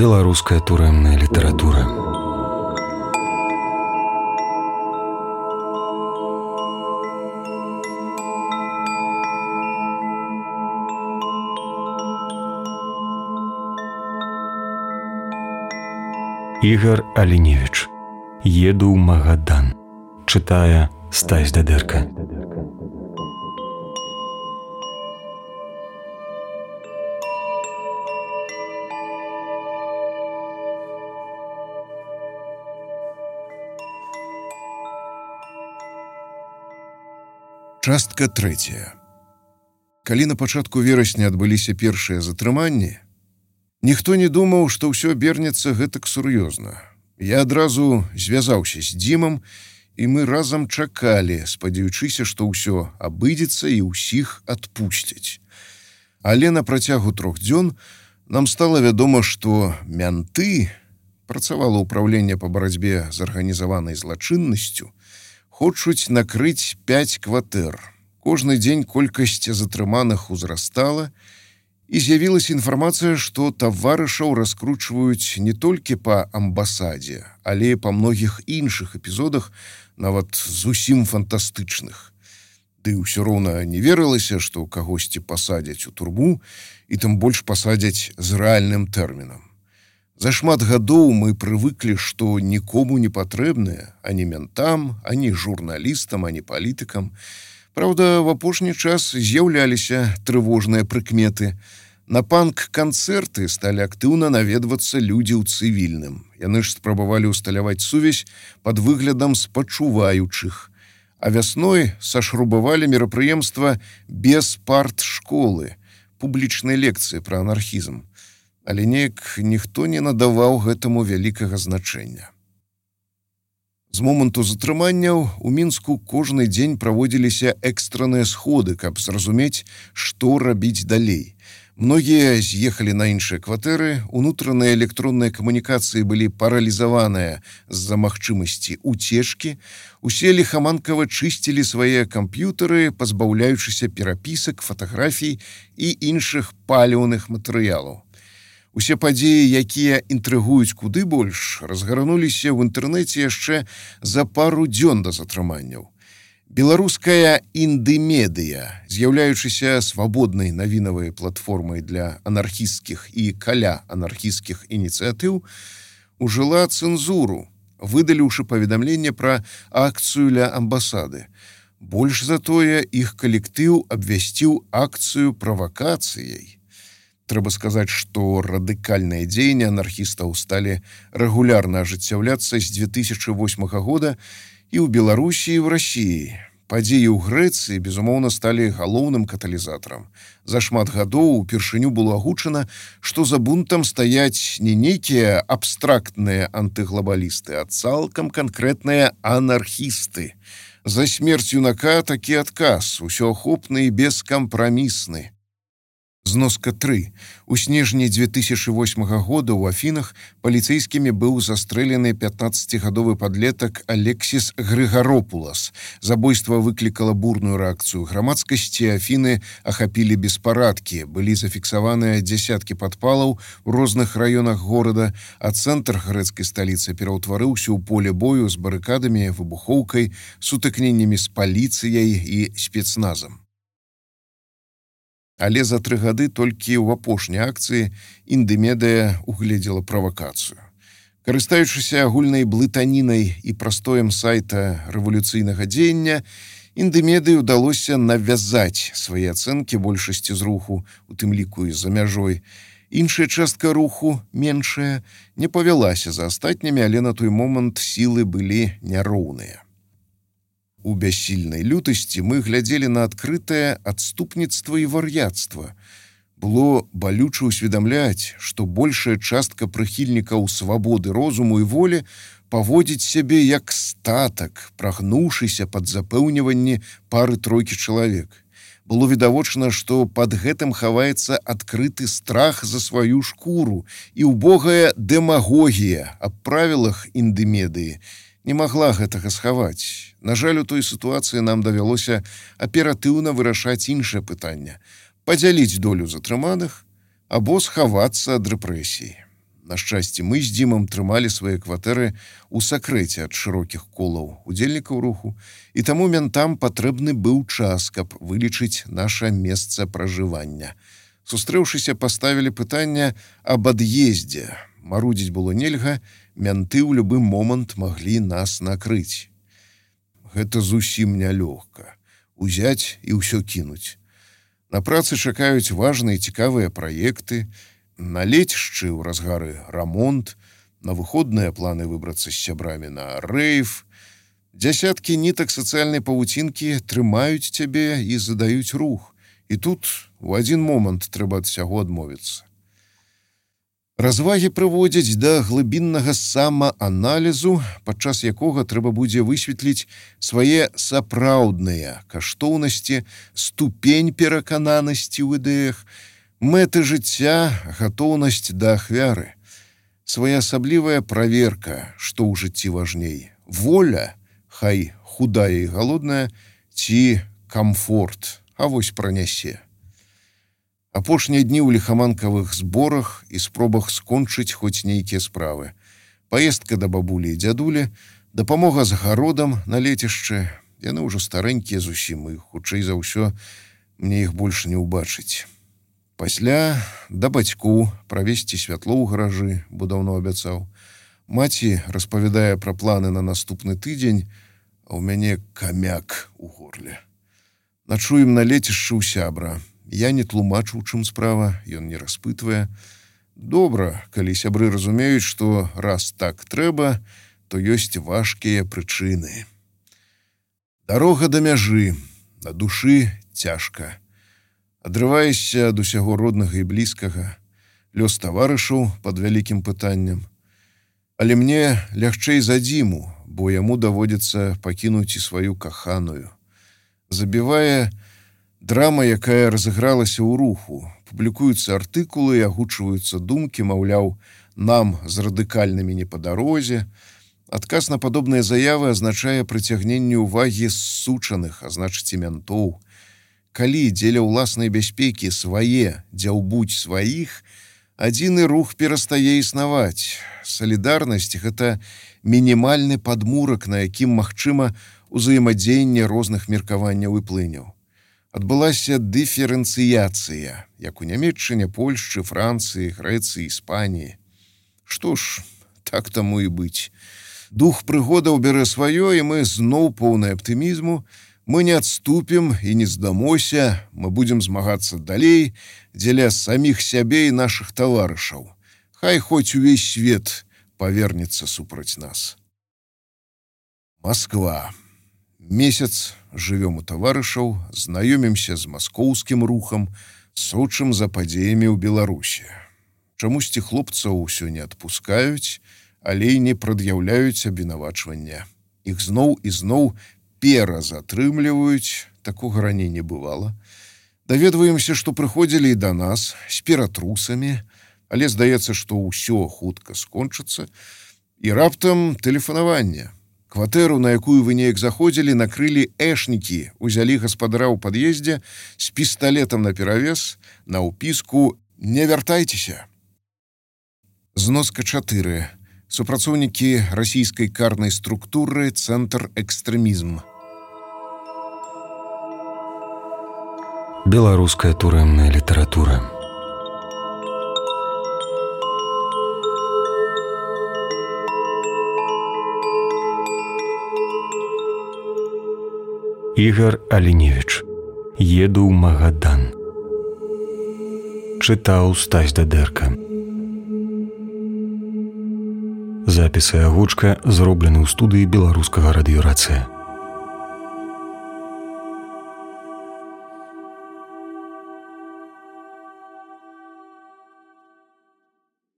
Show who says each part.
Speaker 1: Беларуская турэмная літаратура. Ігар Аліневіч. Еду ў Магадан. Чытае Стась Дадэрка.
Speaker 2: Частка 3. Калі на пачатку верасня адбыліся першыя затрыманні, ніхто не думаў, што ўсё абернецца гэтак сур'ёзна. Я адразу звязаўся з Дзімам, і мы разам чакалі, спадзяючыся, што ўсё абыдзецца і ўсіх адпусцяць. Але на працягу 3 дзён нам стала вядома, што мянты, працавала ўпраўленне па барацьбе з арганізаванай злачыннасцю, хочуць накрыць 5 кватэр. Кожны дзень колькасць затрыманых узрастала, і з'явілася інфармацыя, што таварышаў раскручваюць не толькі па амбасадзе, але і па многіх іншых эпізодах, нават зусім фантастычных. Ды ўсё роўна не верылася, што кагосьці пасадзяць у турму, і тым больш пасадзяць з рэальным тэрмінам. За шмат гадоў мы прывыклі, што нікому не патрэбныя ані ментам, ані журналістам, ані палітыкам. Праўда, в апошні час з'яўляліся трывожныя прыкметы. На панк-канцэрты сталі актыўна наведвацца людзі ў цывільным. Яны ж спрабавалі ўсталяваць сувязь пад выглядам спачуваючых. А вясной сашрубавалі мерапрыемства без партшколы, публічнай лекцыі пра анархізм. Але неяк ніхто не надаваў гэтаму вялікага значэння. З моманту затрыманняў у Мінску кожны дзень праводзіліся экстранныя сходы, каб зразумець, што рабіць далей. Многія з'ехалі на іншыя кватэры, унутраныя электронныя камунікацыі былі паралізаваныя з-за магчымасці уцечкі, усе ліхаманкава чысцілі свае камп'ютары, пазбаўляючыся перапісак, фатаграфій і іншых паліўных матэрыялаў. Усе падзеі, якія інтрыгуюць куды больш, разгарнуліся ў інтэрнэце яшчэ за пару дзён да затрыманняў. Беларуская індымедыя, з'яўляючыся свабоднай навінавай платформай для анархісцкіх і каля-анархісцкіх ініцыятыў, ужыла цэнзуру, выдаліўшы паведамленне пра акцыю ля амбасады. Больш за тое, іх калектыў абвясціў акцыю правакацыяй. Трэба сказаць, што радыкальныя дзеянні анархістаў сталі рэгулярна ажыццяўляцца з 2008 года і ў Беларусі, і ў Расіі. Падзеі ў Грэцыі, безумоўна, сталі галоўным каталізатарам. За шмат гадоў упершыню было агучана, што за бунтам стаяць не нейкія абстрактныя антыглабалісты, а цалкам канкрэтныя анархісты. За смерць юнака такі адказ, усеахопны і бескампрамісны. Зноска 3. У снежні 2008 года ў Афінах паліцэйскімі быў застрэлены 15-гадовы падлетак Алексіс Грыгаропулас. Забойства выклікала бурную рэакцыю грамадскасці, Афіны ахапілі беспарадкі, былі зафіксаваныя дзясяткі падпалаў у розных раёнах горада, а цэнтр грэцкай сталіцы пераўтварыўся ў поле бою з барыкадамі, выбухоўкай, сутыкненнямі з паліцыяй і спецназам. Але за 3 гады толькі ў апошняй акцыі індымедыя угледзела правакацыю. Карыстаючыся агульнай блытанінай і прастоем сайта рэвалюцыйнага дзеяння, індымедыі ўдалося навязаць свае ацэнкі большасці з руху, у тым ліку і за мяжой. Іншая частка руху, меншая, не павялася за астатнімі, але на той момант сілы былі няроўныя. У бяссільнай лютасці мы глядзелі на адкрытае адступніцтва і вар'яцтва. Было балюча ўсведамляць, што большая частка прыхільнікаў свабоды розуму і волі паводзіць сябе як статак, прагнуўшыся пад запэўніванні пары-тройкі чалавек. Было відавочна, што пад гэтым хаваецца адкрыты страх за сваю шкуру і ўбогая дэмагогія аб правілах індымедыі не магла гэтага схаваць. На жаль, у той сітуацыі нам давялося аператыўна вырашаць іншае пытанне – падзяліць долю затрыманых або схавацца ад рэпрэсій. На шчасце, мы з Дзімам трымалі свае кватэры ў сакрэце ад шырокіх колаў удзельнікаў руху, і таму ментам патрэбны быў час, каб вылічыць наша месца пражывання. Сустрэўшыся, паставілі пытанне аб ад'ездзе. Марудзіць было нельга, менты ў любы момант маглі нас накрыць. Гэта зусім нялёгка. Узяць і ўсё кінуць. На працы чакаюць важныя і цікавыя праекты, на лецішчы ў разгары рамонт, на выходныя планы выбрацца з сябрамі на рэйв. Дзясяткі нітак сацыяльнай павуцінкі трымаюць цябе і задаюць рух. І тут у адзін момант трэба ад усяго адмовіцца. Развагі прыводзяць да глыбіннага самааналізу, падчас якога трэба будзе высветліць свае сапраўдныя каштоўнасці, ступень перакананасці ў ідэях, мэты жыцця, гатоўнасць да ахвяры. Своеасаблівая праверка, што ў жыцці важней. Воля, хай худая і галодная, ці камфорт, а вось пранясе. Апошнія дні ў ліхаманкавых зборах і спробах скончыць хоць нейкія справы. Паездка да бабулі і дзядулі, дапамога з гародам на лецішчы. Яны ўжо старэнькія зусім, і хутчэй за ўсё мне іх больш не ўбачыць. Пасля да бацьку правесці святло ў гаражы, бо даўно абяцаў. Маці распавядае пра планы на наступны тыдзень, а ў мяне камяк у горле. Начуем на лецішчы ў сябра. Я не тлумачу, у чым справа, ён не распытвае. Добра, калі сябры разумеюць, што раз так трэба, то ёсць важкія прычыны. Дарога да мяжы, на душы цяжка. Адрываешся ад усяго роднага і блізкага, лёс таварышаў пад вялікім пытаннем. Але мне лягчэй за Дзіму, бо яму даводзіцца пакінуць і сваю каханую. Забівае драма, якая разыгралася ў руху. Публікуюцца артыкулы, агучваюцца думкі, маўляў, нам з радыкальнымі не па дарозе. Адказ на падобныя заявы азначае прыцягненне ўвагі ссучаных, а значыць і ментоў. Калі дзеля ўласнай бяспекі свае дзяўбуць сваіх, адзіны рух перастае існаваць. Салідарнасць – гэта мінімальны падмурак, на якім магчыма ўзаемадзеянне розных меркаванняў і плыняў. Адбылася дыферэнцыяцыя, як у Нямецчыне, Польшчы, Францыі, Грэцыі, Іспаніі. Што ж, так таму і быць. Дух прыгодаў бярэ сваё, і мы зноў поўны аптымізму. Мы не адступім і не здамося, мы будзем змагацца далей дзеля саміх сябе і нашых таварышаў. Хай хоць увесь свет павернецца супраць нас. Москва. Месяц жывём у таварышаў, знаёмімся з маскоўскім рухам, сочым за падзеямі ў Беларусі. Чамусьці хлопцаў усё не адпускаюць, але і не прад'яўляюць абвінавачвання. Іх зноў і зноў перазатрымліваюць, такога раней не бывала. Даведваемся, што прыходзілі і да нас з ператрусамі, але здаецца, што ўсё хутка скончыцца, і раптам тэлефанаванне. Кватэру, на якую вы неяк заходзілі, накрылі эшнікі, узялі гаспадара ў пад'ездзе з пісталетам наперавес, на ўпіску «Не вяртайцеся». Зноска 4. Супрацоўнікі расійскай карнай структуры «Цэнтр экстрэмізм».
Speaker 1: Беларуская турэмная літаратура. Ігар Аліневіч. Еду ў Магадан. Чытаў Стась Дадэрка. Запіс і агучка зроблены ў студыі беларускага радыёрацыя.